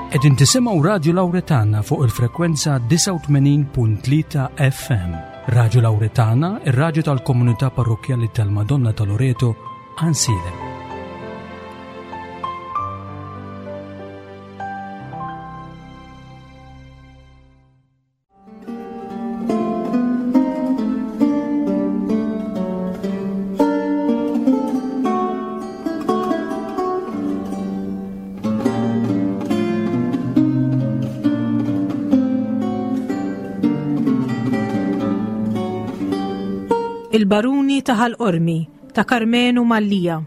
Qegħdin tisimgħu Radju Lawretana fuq il-frekwenza 89.3 FM. Radju Lawretana, ir-radju tal-komunità parrokkjali tal-Madonna ta' Loreto, Ansilem. Il-Baruni ta' Ħal Qormi ta' Karmenu Mallia.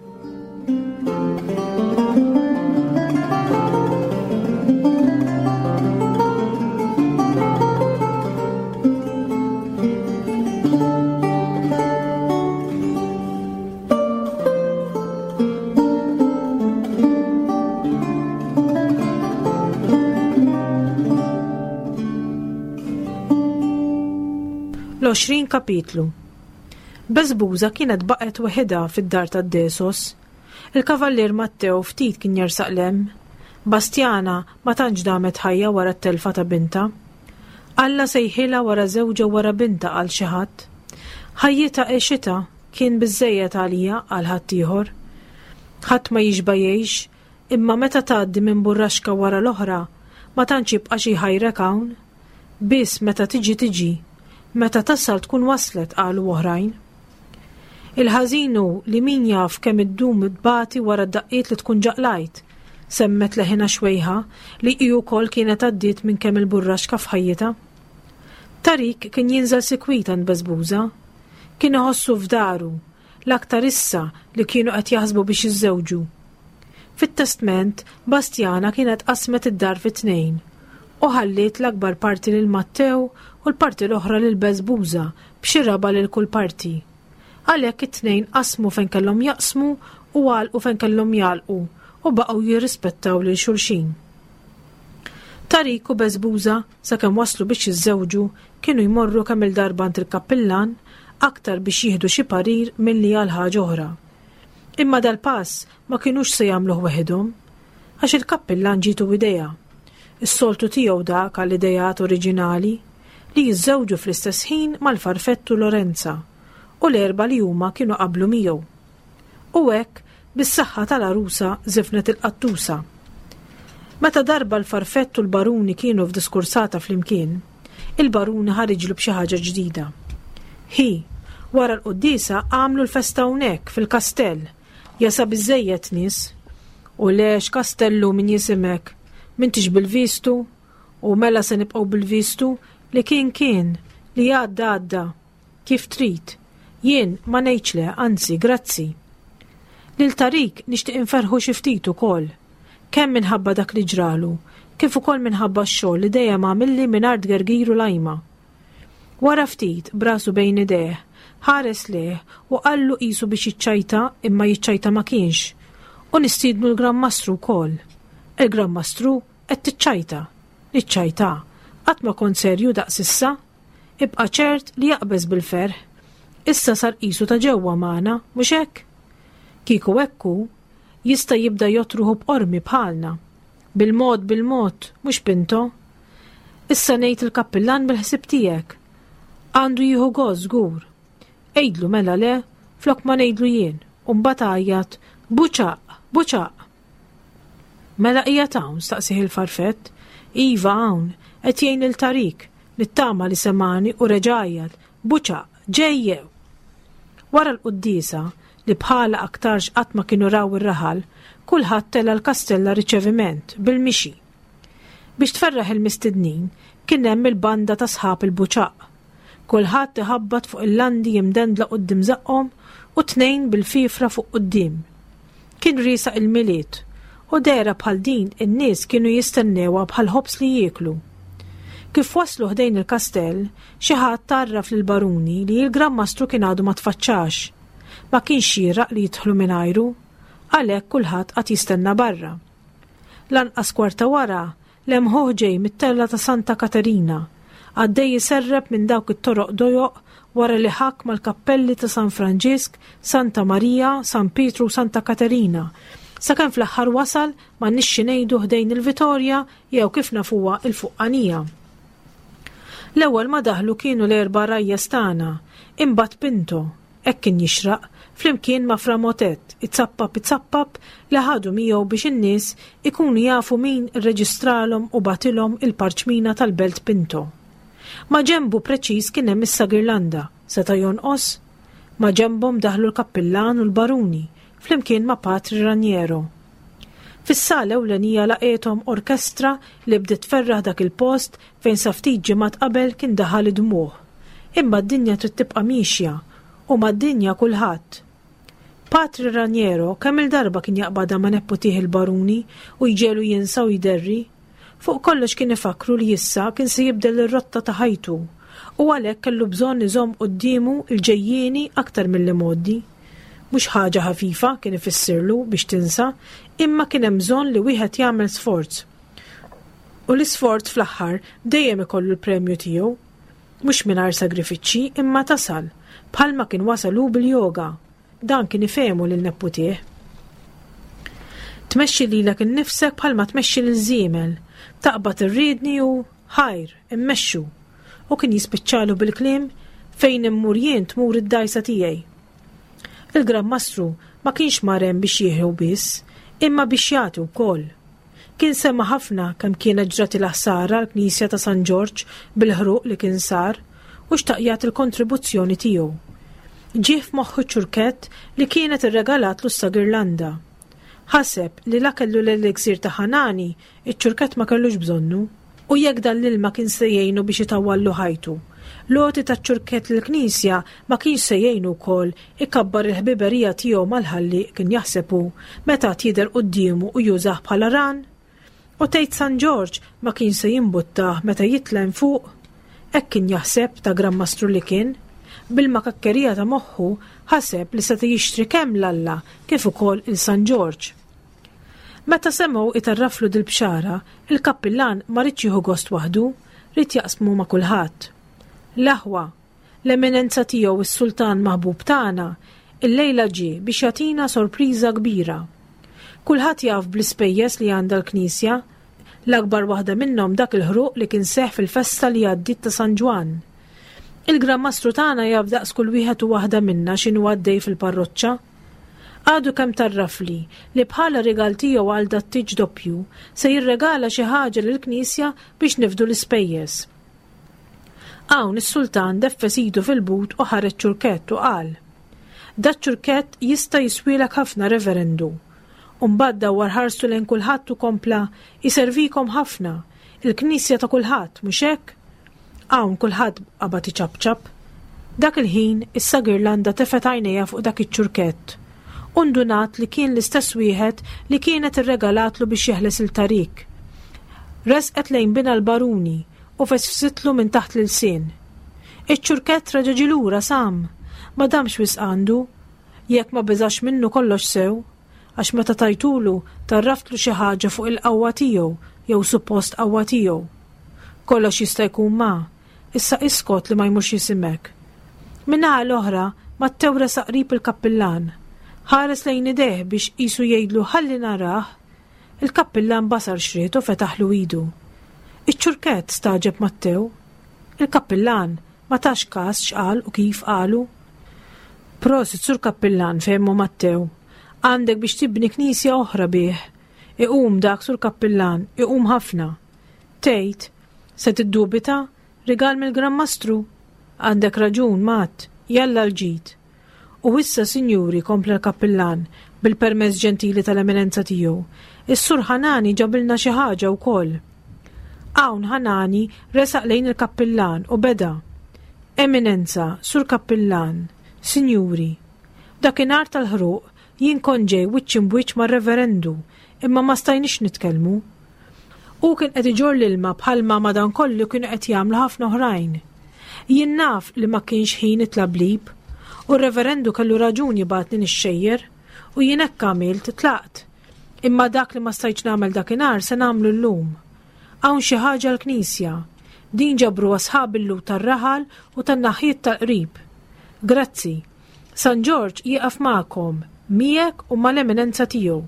L-20 kapitlu Beżbuża kienet baqgħet weħidha fid-dar tad-Desos. Il-Kavallier Matteo ftit kien jersaq 'l hemm. Bastjana ma tantx damet ħajja wara t-telfa ta' bintha. Alla sejħilha wara żewġha u wara bintha qal xi ħadd. Ħajjitha għexitha, kien biżżejjed għalija qal ħaddieħor. Ħadd ma jixba' jgħix, imma meta tgħaddi minn burraxka wara l-oħra, ma tantx jibqa' xi jħajrek hawn. Biss meta tiġi tiġi. Meta tasal tkun waslet, qalu oħrajn. Il-ħażin hu li min jaf kemm iddum tbati wara d-daqqiet li tkun ġa qlajt, semmet leħinha xwejħa li hi wkoll kienet għaddiet minn kemm il-burraxka f'ħajjitha. Tarik kien jinżel sikwit għand Beżbuża. Kien iħossu f'daru, l-aktar issa li kienu qed jaħsbu biex jiżżewġu. Fit-testment, Bastjana kienet qasmet id-dar fi tnejn u ħalliet l-akbar parti lil Mattew u l-parti l-oħra lil Beżbuża b'xi raba' lil kull parti. Għalhekk it-tnejn qasmu fejn kellhom jaqsmu u għalqu fejn kellhom jagħlqu u baqgħu jirrispettaw lil xulxin. Tarik u Beżbuża sakemm waslu biex jiżżewġu kienu jmorru kemm-il darba għand il-kappillan aktar biex jieħdu xi parir milli għal ħaġa oħra. Imma dal-pass ma kinux se jagħmluh weħidhom, għax il-kappillan ġietu idea. Is-soltu tiegħu dak għal ideat oriġinali, li jiżżewġu fl-istess ħin mal-farfettu Lorenza, u l-erbgħa li huma kienu qablu miegħu. U hekk, bis-saħħa tal-għarusa żifnet il-qattusa. Meta darba l-farfett u l-baruni kienu f'diskursata flimkien, il-baruni ħariġlu b'xi ħaġa ġdida. Hi, wara l-quddiesa għamlu l-festa hawnhekk fil-kastell, jasa biżżejjed nies. U le x'kastellu min jisimek, m'intix bil-vistu? U mela se nibqgħu bil-vistu li kien kien, li għadda għadda. Kif trid. Jien ma ngħidx le, anzi, grazzi. Lil Tarik nixtieq inferrħu xi ftit ukoll. Kemm minħabba dak li ġralu, kif ukoll minħabba x-xogħol li dejjem għamilli mingħajr tgergir u lajma. Wara ftit, b'rasu bejn idejh, ħares lejh u qallu qisu biex jiċċajta imma jiċċajta ma kienx, U nistiednu l-Gran Mastru wkoll. Il-Gran Mastru? Qed tiċċajta. Niċċajta. Qatt ma kont serju daqs issa. Ibqa' ċert li jaqbeż bil-ferħ. Issa sar qisu ta' ġewwa magħna, mhux hekk? Kieku hekk hu, jista' jibda jgħodd ruħu b'qormi bħalna. Bil-mod bil-mod, mhux Pinto? Issa ngħid il-kappillan bil-ħsieb tiegħek. Għandu jieħu gost żgur. Għidlu mela le, flok ma ngħidlu jien, u mbagħad għajjat, Buċaq! Buċaq! Mela qiegħed hawn? staqsieh il-farfett. Iva hawn, qed jgħin lil Tarik. Nittama li semagħni u reġa' għajjat, Buċaq, ġej jew! Wara l-quddiesa, li bħalha aktarx qatt ma kienu raw ir-raħal, kulħadd tela' l-kastell għar-riċeviment, bil-mixi. Biex tferraħ il-mistednin, kien hemm il-banda ta' sħab il-Buċaq. Kulħadd iħabbat fuq il-landi imdendla quddiem żaqqhom u tnejn bil-fifra fuq quddiem. Kien riesaq il-Milied, u dehra bħal din in-nies kienu jistennewha bħall-ħobż li jieklu. Kif waslu ħdejn il-kastell, xi ħadd għarraf lill-baruni li l-Gran Mastru kien għadu ma tfaċċax. Ma kienx xieraq li jidħlu mingħajru. Għalhekk kulħadd qagħad jistenna barra. Lanqas kwarta wara, Lemħuh ġej mit-tella ta' Santa Katerina, għaddej iserrep minn dawk it-toroq dojoq wara li ħakk mal-kappelli ta' San Franġisk, Santa Marija, San Pietru u Santa Katerina. Sakemm fl-aħħar wasal m'għandniex xi ngħidu ħdejn il-Vitorja jew kif nafuha il-Fuqqanija. L-ewwel ma daħlu kienu l-erba' rajjes tagħna, imbagħad Pinto, hekk kien jixraq, flimkien ma' Fra Motet, izappap izappap li ħadu miegħu biex in-nies ikunu jafu min irreġistralhom u bagħtilhom il-parċmina tal-Belt Pinto. Ma' ġenbu preċiż kien hemm is-Sagirlanda, seta' jonqos? Ma' ġenbhom daħlu l-kappillan u l-baruni, flimkien ma' Patri Raniero. Fis-sala ewlenija laqgħethom orkestra li bdiet tferraħ dak il-post fejn sa ftit ġimgħat qabel kien daħal id-dmugħ. Imma d-dinja trid tibqa' miexja u mad-dinja kulħadd. Patri Raniero kemm-il darba kien jaqbadha ma' nepputih il-baruni u jġegħlu jinsa u jderri. Fuq kollox kien ifakkru li issa kien se jibdel ir-rotta ta' ħajtu u għalhekk kellu bżonn iżomm quddiemu l-ġejjieni aktar mill-imgħoddi. Mhux ħaġa ħafifa, kien ifissirlu, biex tinsa, imma kien hemm bżonn li wieħed jagħmel sforz. U l-isforz fl-aħħar dejjem ikollu l-premju tiegħu. Mhux mingħajr sagrifiċċji imma tasal, bħalma kien wasal hu bil-yoga. Dan kien ifehmu lil nepputih. Tmexxi lilek innifsek bħalma tmexxi lil żiemel. Taqbad ir-riedni u, ħajr, immexxu. U kien jispiċċalu bil-kliem, fejn immur jien tmur id-dgħajsa tiegħi. Il-Gran Mastru ma kienx mar hemm biex jieħu biss, imma biex jagħti wkoll. Kien sema' ħafna kemm kienet ġratilha ħsara l-knisja ta' San Ġorġ bil-ħruq li kien sar u xtaq jagħti l-kontribuzzjoni tiegħu. Ġieh f'moħħu ċ-ċurkett li kienet irregalatlu s-Sagirlanda. Ħaseb li la kellu l-eliksir ta' Ħanani, iċ-ċurkett ma kellux bżonnu. U jekk dan l-ilma kien se jgħinu biex itawwallu ħajtu, l-għoti taċ-ċurkett lill-Knisja ma kienx se jgħinu wkoll ikabbar il-ħbiberija tiegħu mal-Ħallieq kien jaħseb hu meta għad jidher quddiemu u jużah bħala ran? U tgħid San Ġorġ ma kienx se jimbuttah meta jitla' hemm fuq? Hekk kien jaħseb ta' Gran Mastru li kien. Bil-makakkerija ta' moħħu ħaseb li seta' jixtri kemm 'l Alla kif ukoll 'il San Ġorġ. Meta semgħu itarraflu dil-bxara, il-kappillan ma riedx jieħu gost waħdu, ried jaqsmu ma' kulħadd. L-aħwa, l-Eminenza Tiegħu s-Sultan maħbub tagħna, illejla ġie biex jagħtina sorpriża kbira. Kulħadd jaf bl-ispejjeż li għandha l-Knisja, l-akbar waħda minnhom dak il-ħruq li kien seħħ fil-festa li għaddiet ta' San Ġwann. Il-Gran Mastru tagħna jaf daqs kull wieħed u waħda minna x'inhu għaddej fil-parroċċa. Għadu kemm tgħarrafli li bħala rigal tiegħu għal dat-tieġ doppju se jirregala xi ħaġa lill-Knisja biex nifdu l-ispejjeż. Hawn is-sultan deffes idu fil-but u ħareġ ċurkett u qal, Dat-ċurkett jista' jiswielek ħafna, Reverendu. U mbagħad dawwar ħarstu lejn kulħadd u kompla, Iservikom ħafna. Il-Knisja ta' kulħadd, mhux hekk? Hawn kulħadd qabad iċapċap. Dak il-ħin, is-Sa Girlanda tefgħet għajnejha fuq dak iċ-ċurkett u ndunat li kien l-istess wieħed li kienet irregalatlu biex jeħles 'il Tariq. Resqet lejn binha l-Baruni u fesfsitlu minn taħt l-ilsien. Iċ-ċurkett reġa' ġie lura, Sam! Ma damx wisq għandu. Jekk ma beżax minnu kollox sew. Għax meta tajtulu, tgħarraftlu xi ħaġa fuq il-qawwa tiegħu jew suppost qawwa tiegħu. Kollox jista' jkun ma. Issa iskot li ma jmurx jisimgħek. Min-naħa l-oħra, Mattew resaq qrib il-kappillan. Ħares lejn idejh biex qisu jgħidlu ħalli narah. Il-kappillan basar x'ried u fetaħlu idu. Iċ-ċurkett, stagħġeb Mattew. Il-kappillan ma tax kas x'qal u kif qalu. Prosit, Sur Kappillan, fehmu Mattew. Għandek biex tibni knisja oħra bih. Iqum dak, Sur Kappillan, iqum ħafna. Tgħid, se tiddubita? Rigal mill-Gran Mastru? Għandek raġun, Matt, jalla l-ġid. U issa, sinjuri, kompla l-kappillan, bil-permess ġentili tal-Eminenza Tiegħu, is-Sur Ħanani ġabilna xi ħaġa wkoll. Hawn Ħanani resaq lejn il-kappillan u beda, Eminenza, Sur Kappillan, sinjuri, dakinhar tal-ħruq jien kont ġej wiċċ imbwiċċ mar-Reverendu, imma ma stajniex nitkellmu. Hu kien qed iġorr l-ilma bħalma madankollu kienu qed jagħmlu ħafna oħrajn. Jien naf li ma kienx ħin it-tlablib, u r-Reverendu kellu raġun jibgħatni nixxejjer, u jien hekk għamilt, tlaqt. Imma dak li ma stajtx nagħmel dakinhar se nagħmlu llum. Hawn xi ħaġa l-knisja. Din ġabruha sħab il-Lhud tar-raħal u tan-naħjiet tal-qrib. Grazzi. San Ġorġ jieqaf magħkom, miegħek u mal-Eminenza Tiegħu.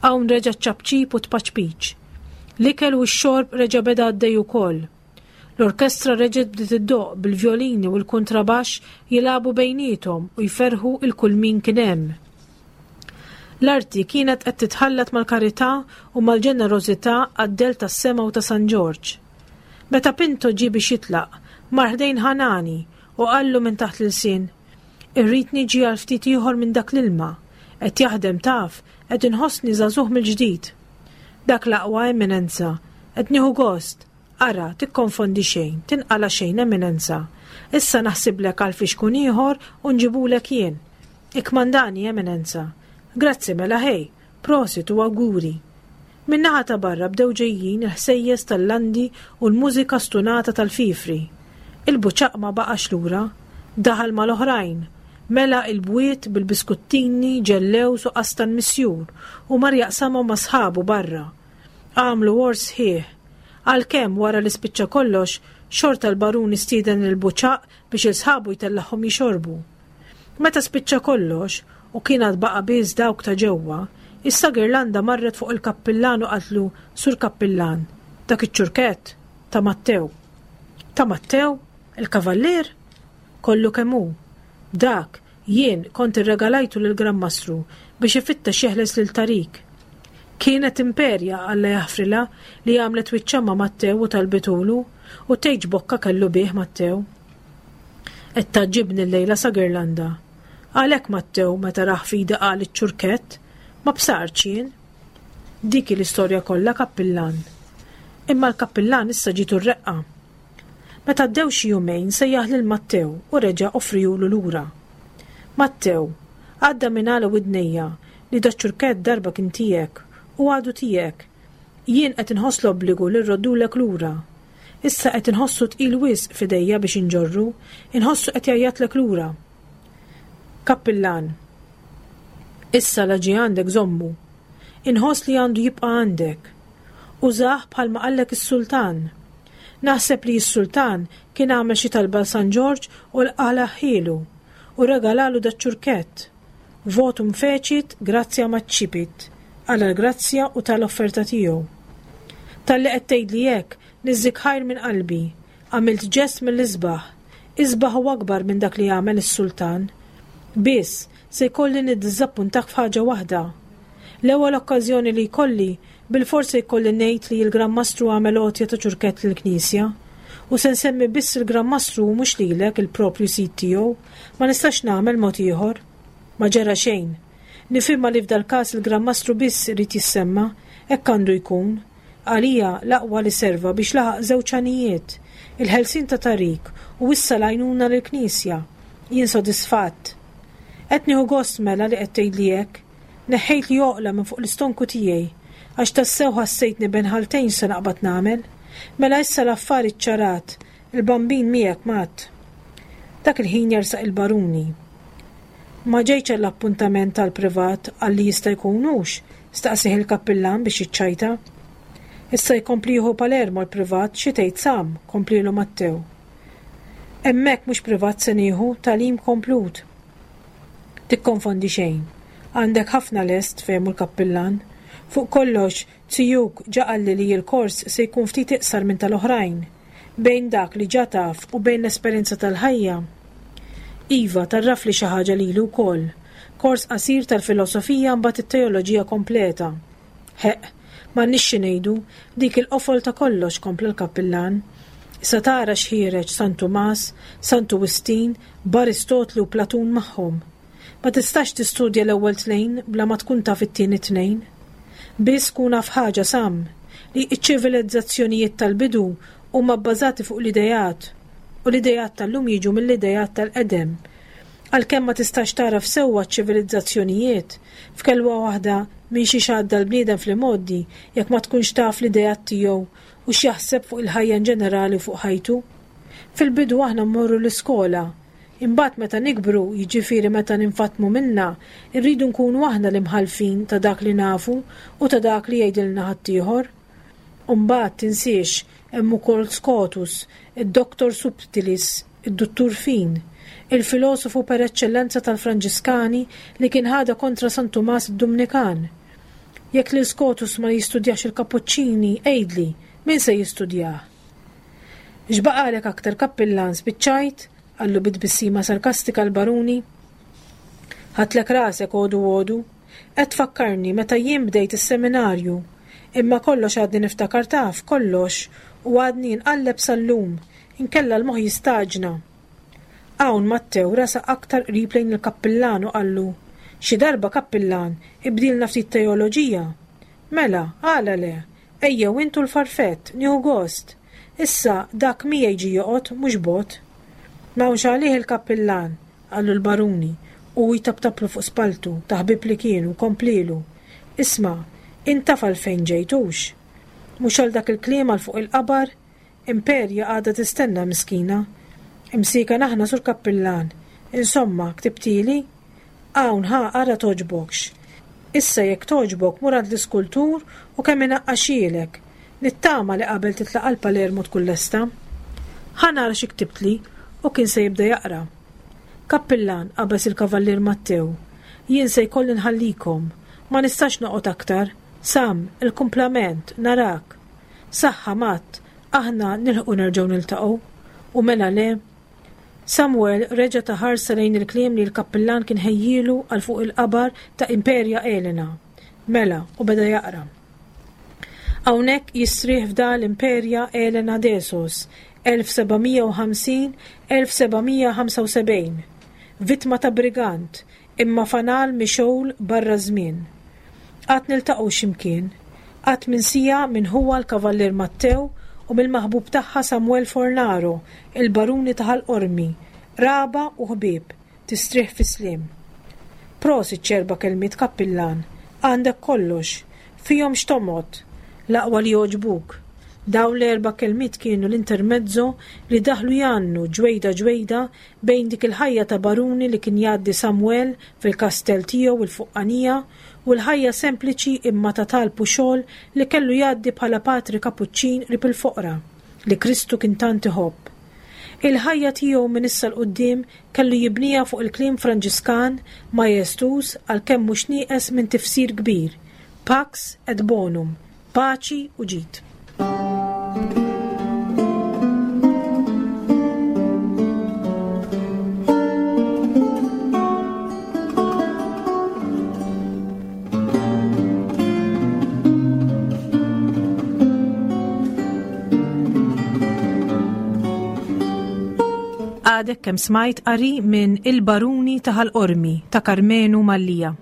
Hawn reġa' ċ-ċapċip u t-tpaċpiċ. L-ikel u x-xorb reġa' beda għaddej ukoll. L-orkestra reġgħet bdiet iddoqq bil-vjolini u l-kuntrabaxx jilagħbu bejniethom u jferrħu 'l kull min kien hemm. L-arti kienet qed titħallat mal-karità u mal-ġenerożità għad-dell tas-sema u ta' San Ġorġ. Meta Pinto ġie biex jitlaq, mar ħdejn Ħanani u qallu minn taħt l-ilsien, Irrid niġi għal ftit ieħor minn dak l-ilma. Qed jaħdem taf, qed inħossni żagħżugħ mill-ġdid. Dak l-aqwa, Eminenza. Qed nieħu gost. Ara, tikkonfondi xejn, tinqala' xejn, Eminenza. Issa naħsiblek għal fixkun ieħor u nġibulek jien. Ikkmandani, Eminenza. Grazzi mela ħej. Prosit u awguri. Min-naħa ta' barra bdew ġejjin il-ħsejjes tal-landi u l-mużika stunata tal-fifri. Il-buċaq ma baqax lura. Daħal mal-oħrajn. Mela il-bwiet bil-biskuttini, ġellewż u qastan misjur u mar jaqsamhom ma' sħabu barra. Għamlu għors sħiħ. Għalkemm wara li spiċċa kollox, xorta l-baruni stieden lil Buċaq biex 'il sħabu jtellagħhom jixorbu. Meta spiċċa kollox, u kien għad baqa' biss dawk ta' ġewwa, issa Girlanda marret fuq il-kappillan u qaltlu, Sur Kappillan, dak iċ-ċurkett ta' Mattew. Ta' Mattew? Il-kavallier? Kollu kemm hu. Dak, jien kont irregalajtu lill-Gran Mastru biex ifittex jeħles lil Tarik. Kienet Imperja, Alla jaħfrilha, li għamlet wiċċha ma' Mattew u talbitulu, u tgħidx bokka kellu bih Mattew. Qed tgħaġġibni llejla sa Girlanda. Għalhekk Mattew meta rah f'idi qal iċ-ċurkett, ma bsartx jien. Dik hi l-istorja kollha, Kappillan. Imma l-Kappillan issa ġietu r-reqqa. Meta għaddew xi jumejn sejjaħ lil Mattew u reġa' offrihulu lura. Mattew, għadda minn għala widnejja li daċ-ċurkett darba kien tiegħek u għadu tiegħek. Jien qed inħoss l-obbligu li rroddulek lura. Issa qed inħossu tqil wisq f'idejja biex inġorru, inħossu qed jgħajjatlek lura. Kappillan, Issa la ġie għandek żommu. Inħoss li għandu jibqa' għandek. Użah bħalma qallek is-sultan. Naħseb li s-sultan kien għamel xi talba 'l San Ġorġ u qalagħhielu u regalalu daċ-ċurkett. Votum fecit, gratia maccipit, qala l-grazzja u ta l-offerta tiegħu. Talli qed tgħidli hekk, niżżik ħajr minn qalbi. Għamilt ġest mill-isbaħ. Isbaħ u akbar minn dak li għamel is-sultan. Biss, se jkolli niddiżappuntak f'ħaġa waħda. L-ewwel okkażjoni li jkolli, bilfors se jkolli ngħid li l-Gran Mastru għamel għotja ta' ċurkett lill-Knisja. U se nsemmi biss il-Gran Mastru u mhux lilek, il-proprju sid tiegħu. Ma nistax nagħmel mod ieħor. Ma ġara xejn. Nifhimha li f'dal-każ il-Gran Mastru biss irid jissemma, hekk għandu jkun. Għalija, l-aqwa li serva biex laħaq żewġ għanijiet, il-ħelsien ta' Tariq u issa l-għajnuna lill-Knisja. Jien sodisfatt. Qed nieħu gost mela li qed tgħidli hekk. Neħħejtli għoqla minn fuq l-istonku tiegħi, għax tassew ħassejtni bejn ħaltejn x'se naqbad nagħmel. Mela issa l-affari ċċarat, il-Bambin miegħek Matt. Dak il-ħin jersaq il-Baruni. Ma ġejtx għall-appuntament għall-privat għal li jista' jkun hux? staqsieh il-kappillan biex jiċċajta. Issa jkompli jieħu Palermo l-privat xi tgħid Sam, komplielu Mattew. Hemmhekk mhux privat se nieħu, tagħlim komplut. Tikkonfondi xejn. Għandek ħafna lest, fehmu l-kappillan. Fuq kollox, zijuk ġa qalli li l-kors se jkun ftit iqsar minn tal-oħrajn. Bejn dak li ġa taf u bejn l-esperjenza tal-ħajja. Iva, tgħarrafli xi ħaġa lili wkoll. Kors qasir tal-filosofija mbagħad it-teoloġija kompleta. Ħeqq, m'għandniex xi ngħidu, dik il-qofol ta' kollox, kompla l-kappillan. Issa tara x'ħiereġ San Tumas, Santu Wistin, b'Aristotli u Platun magħhom. Ma tistax tistudja l-ewwel tnejn bla ma tkun taf it-tieni tnejn. Biss kun af ħaġa, Sam, li ċ-ċivilizzazzjonijiet tal-bidu huma bbażati fuq l-ideat, u l-ideat tal-lum jiġu mill-ideat tal-qedem. Għalkemm ma tistax tagħraf sewwa ċ-ċivilizzazzjonijiet, f'kelwa waħda minn xiex għadda l-bniedem fl-imgħoddi jekk ma tkunx taf l-ideat tiegħu u x'jaħseb fuq il-ħajja inġenerali u fuq ħajtu. Fil-bidu aħna mmorru l-iskola. Imbagħad meta nikbru, jiġifieri meta ninfatmu minnha, irridu nkunu aħna l-imħallfin ta' dak li nafu u ta' dak li jgħidilna ħaddieħor. U mbagħad tinsiex, hemm ukoll Scotus, id-Doctor Subtilis, id-Duttur Fin, il-filosofu per eċċellenza tal-Franġiskani li kien ħadha kontra San Tumas id-Dumnikan. Jekk lil Scotus ma jistudjax il-Kapuċċini, għidli, min se jistudjah? X'baqagħlek aktar kappillan spiċċajt? qallu bi tbissima sarkastika l-baruni. Ħadtlek rasek għodu għodu. Qed tfakkarni meta jien bdejt is-seminarju. Imma kollox għadni niftakar taf, kollox, u għadni nqalleb sal-lum, inkella l-moħħ jistaġna. Hawn Mattew resaq aktar qrib lejn il-kappillan u qallu, Xi darba, kappillan, ibdilna ftit teoloġija. Mela, għala le? Ejjew int u l-farfett, nieħu gost. Issa dak miegħi ġie joqgħod, mhux bogħod. M'hawnx għalih il-kappillan, qallu l-baruni, u hu jtaptaplu fuq spalltu, ta' ħbieb li kienu, komplielu, Isma', int taf għalfejn ġejt, hux? Mhux għal dak il-kliem għal fuq il-qabar? Imperja għadha tistenna miskina. Imsieken aħna sur kappillan. Insomma, ktibtili? Hawn ħa ara togħġbokx. Issa jekk togħġbok mur għand l-iskultur u kemm inaqqaxielek. Nittama li qabel titlaq għal Palermo tkun lesta. Ħa nara xi ktibtli u kien se jibda jaqra. Kappillan, qabeż il-Kavallier Mattew, jien se jkolli nħallikom. Ma nistax noqgħod aktar. Sam, il-kumplament, narak. Saħħa, Matt, aħna nilħqu nerġgħu niltaqgħu. U mela le? Samuel reġa' ta ħarsa lejn il-kliem li l-kappillan kien ħejjielu għal fuq il-qabar ta' Imperia Elena. Mela, u beda jaqra. Hawnhekk jistrieħ f'dal Imperia Elena Desos, 1750-1775, vittma ta' brigant, imma fanal mixgħul barra ż-żmien. Għad niltaqgħu xi mkien. Qatt minsija minn ħuha l-Kavallier Mattew u mill-maħbub tagħha Samuel Fornaro, il-Baruni ta' Ħal Qormi, qraba u ħbieb, tistrieħ fis-sliem. Prosit x'erba' kelmiet Kappillan, għandek kollox, fihom x'tomgħod, l-aqwa li jogħġbuk. Dawn l-erba' kelmiet kienu l-intermezzo li daħlu jgħannu ġwejda ġwejda Bejn dik il-ħajja ta' baruni li kien jgħaddi Samwel fil-kastell tiegħu il-fuqqanija u l-ħajja sempliċi imma ta' talb u xogħol li kellu jgħaddi bħala patri Kapuċċin qrib il-foqra li Kristu kien tant iħobb. Il-ħajja tiegħu minn issa 'l quddiem kellu jibniha fuq il-kliem Franġiskan majestuż għalkemm mhux nieqes minn tifsir kbir, Pax et bonum, Paċi u ġid. Għadek kemm smajt qari minn Il-Baruni ta' Ħal Qormi ta' Karmenu Mallia.